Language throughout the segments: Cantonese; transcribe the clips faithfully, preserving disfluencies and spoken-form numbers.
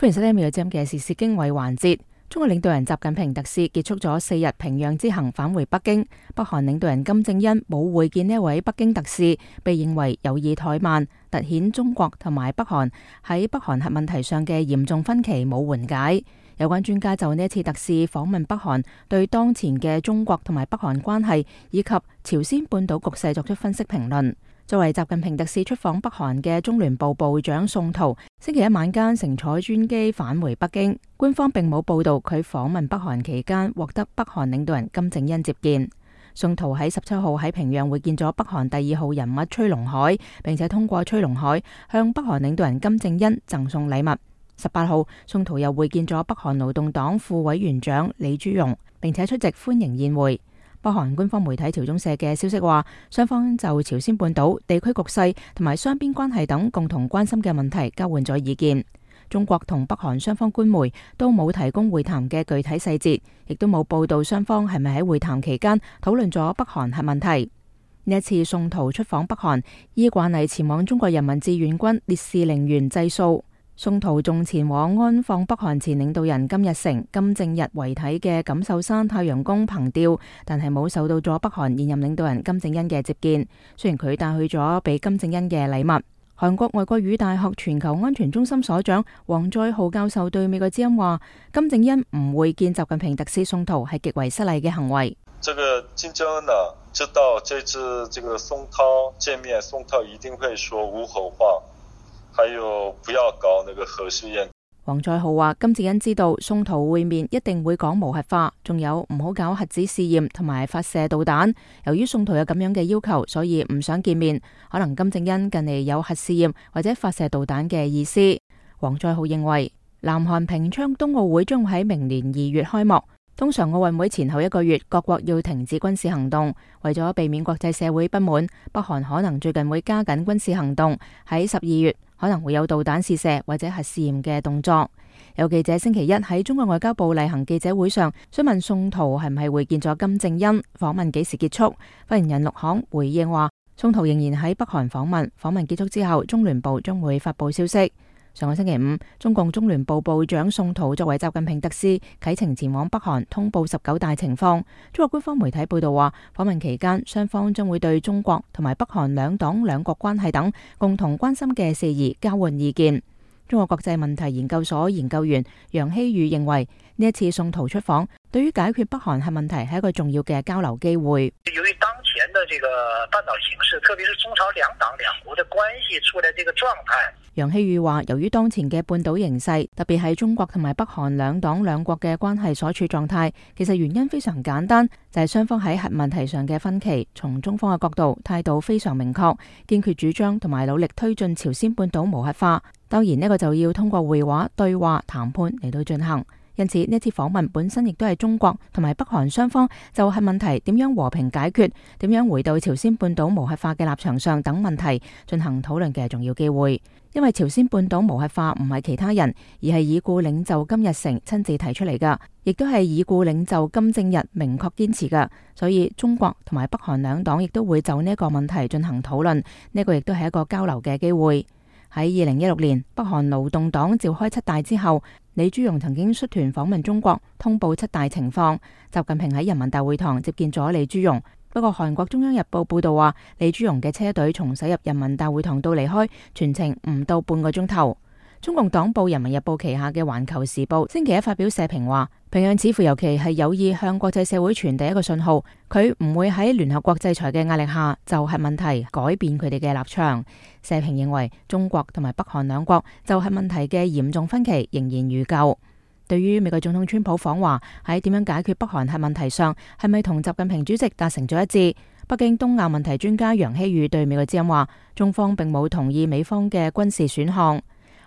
歡迎收聽《美國之音》嘅時事經緯環節。中國領導人習近平特使結束咗四日平壤之行，返回北京。北韓領導人金正恩冇會見呢一位北京特使，被認為有意怠慢，凸顯中國同埋北韓喺北韓核問題上嘅嚴重分歧冇緩解。有關專家就呢一次特使訪問北韓，對當前嘅中國同埋北韓關係以及朝鮮半島局勢作出分析評論。作為習近平特使出訪北韓嘅中聯部部長宋濤，星期一晚間乘坐專機返回北京。官方並冇報道佢訪問北韓期間獲得北韓領導人金正恩接見。宋濤喺十七號喺平壤會見咗北韓第二號人物崔龍海，並且通過崔龍海向北韓領導人金正恩贈送禮物。十八號，宋濤又會見咗北韓勞動黨副委員長李朱容，並且出席歡迎宴會。北韓官方媒體朝中社嘅消息話，雙方就朝鮮半島地區局勢同埋雙邊關係等共同關心嘅問題交換咗意見。中國同北韓雙方官媒都冇提供會談嘅具體細節，亦都冇報道雙方係咪喺會談期間討論咗北韓核問題。呢一次宋濤出訪北韓，依慣例前往中國人民志願軍烈士陵園祭掃。宋濤仲前往安放北韓前領導人金日成、金正日遺體嘅錦繡山太陽宮憑吊，但係冇受到咗北韓現任領導人金正恩嘅接見。雖然佢帶去咗俾金正恩嘅禮物。韓國外國語大學全球安全中心所長王在浩教授對美國之音話，金正恩唔會見習近平特使宋濤係極為失禮嘅行為。這個金正恩呢，知道這次這個宋濤見面，宋濤一定會說無核化。還有不要搞那個核試驗。王在浩話，金正恩知道宋濤會面一定會講無核化，仲有唔好搞核子試驗同埋發射導彈。由於宋濤有咁樣嘅要求，所以唔想見面。可能金正恩近嚟有核試驗或者發射導彈嘅意思。王在浩認為，南韓平昌冬奧會將喺明年二月開幕。通常奧運會前後一個月，各國要停止軍事行動，為咗避免國際社會不滿，北韓可能最近會加緊軍事行動，喺十二月可能會有導彈試射或者核試驗嘅動作。有記者星期一喺中國外交部例行記者會上詢問宋濤係唔係會見咗金正恩，訪問幾時結束？發言人陸慷回應話，宋濤仍然喺北韓訪問，訪問結束之後，中聯部將會發佈消息。上個星期五，中共中聯部部長宋濤作為習近平特使啟程前往北韓，通報十九大情況。中國官方媒體報道話，訪問期間雙方將會對中國同埋北韓兩黨兩國關係等共同關心嘅事宜交換意見。中國國際問題研究所研究員楊希宇認為，呢一次宋濤出訪對於解決北韓核問題係一個重要嘅交流機會。由於當前的這個半島形勢，特別是中朝兩黨兩國的關係處在這個狀態。楊希宇話，由於當前嘅半島形勢，特別係中國同埋北韓兩黨兩國嘅關係所處狀態，其實原因非常簡單，就係雙方喺核問題上嘅分歧。從中方嘅角度，態度非常明確，堅決主張同埋努力推進朝鮮半島無核化。當然呢個就要通過會話、對話、談判嚟到進行。因此呢次訪問本身亦都係中國同埋北韓雙方就核問題點樣和平解決、點樣回到朝鮮半島無核化嘅立場上等問題進行討論嘅重要機會。因為朝鮮半島無核化唔係其他人，而係已故領袖金日成親自提出嚟㗎，亦都係已故領袖金正日明確堅持㗎，所以中國同埋北韓兩黨亦都會就呢一個問題進行討論，呢、這個亦都係一個交流嘅機會。喺二零一六年，北韓勞動黨召開七大之後，李朱容曾經率團訪問中國，通報七大情況。習近平喺人民大會堂接見咗李朱容。不過韓國中央日報報道話，李朱容嘅車隊從駛入人民大會堂到離開，全程唔到半個鐘頭。中共黨報人民日報旗下嘅環球時報星期一發表社評話，平壤似乎尤其係有意向國際社會傳遞一個信號，佢唔會喺聯合國制裁嘅壓力下就核問題改變佢哋嘅立場。社評認為，中國同埋北韓兩國就核問題嘅嚴重分歧仍然如舊。對於美國總統川普訪華喺點樣解決北韓核問題上，係咪同習近平主席達成咗一致？北京東亞問題專家楊希宇對美國之音話，中方並冇同意美方嘅軍事選項。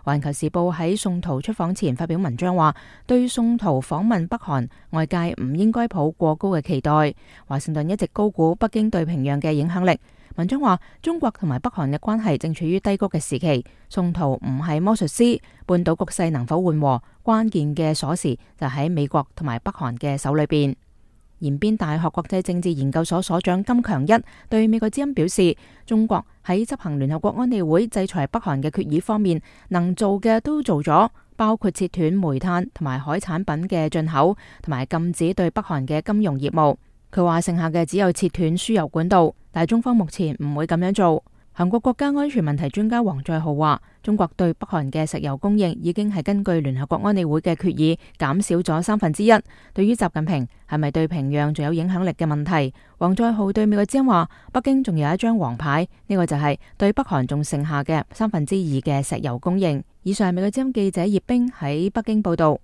環球時報喺宋濤出訪前發表文章話，對宋濤訪問北韓，外界唔應該抱過高嘅期待。華盛頓一直高估北京對平壤嘅影響力。文章話，中國同埋北韓嘅關係正處於低谷嘅時期，宋濤唔係魔術師，半島局勢能否緩和，關鍵嘅鎖匙就喺美國同埋北韓嘅手裏邊。延邊大學國際政治研究所所長金強一對美國之音表示，中國喺執行聯合國安理會制裁北韓嘅決議方面，能做嘅都做咗，包括切斷煤炭同埋海產品嘅進口，同埋禁止對北韓嘅金融業務。佢話剩下嘅只有切斷輸油管道，但係中方目前唔會咁樣做。韓國國家安全問題專家王載浩話，中國對北韓嘅石油供應已經係根據聯合國安理會嘅決議減少咗三分之一。對於習近平係咪對平壤仲有影響力嘅問題，王載浩對美國之音話，北京仲有一張黃牌，呢個就係對北韓仲剩下嘅三分之二嘅石油供應。以上係美國之音記者葉冰喺北京報道。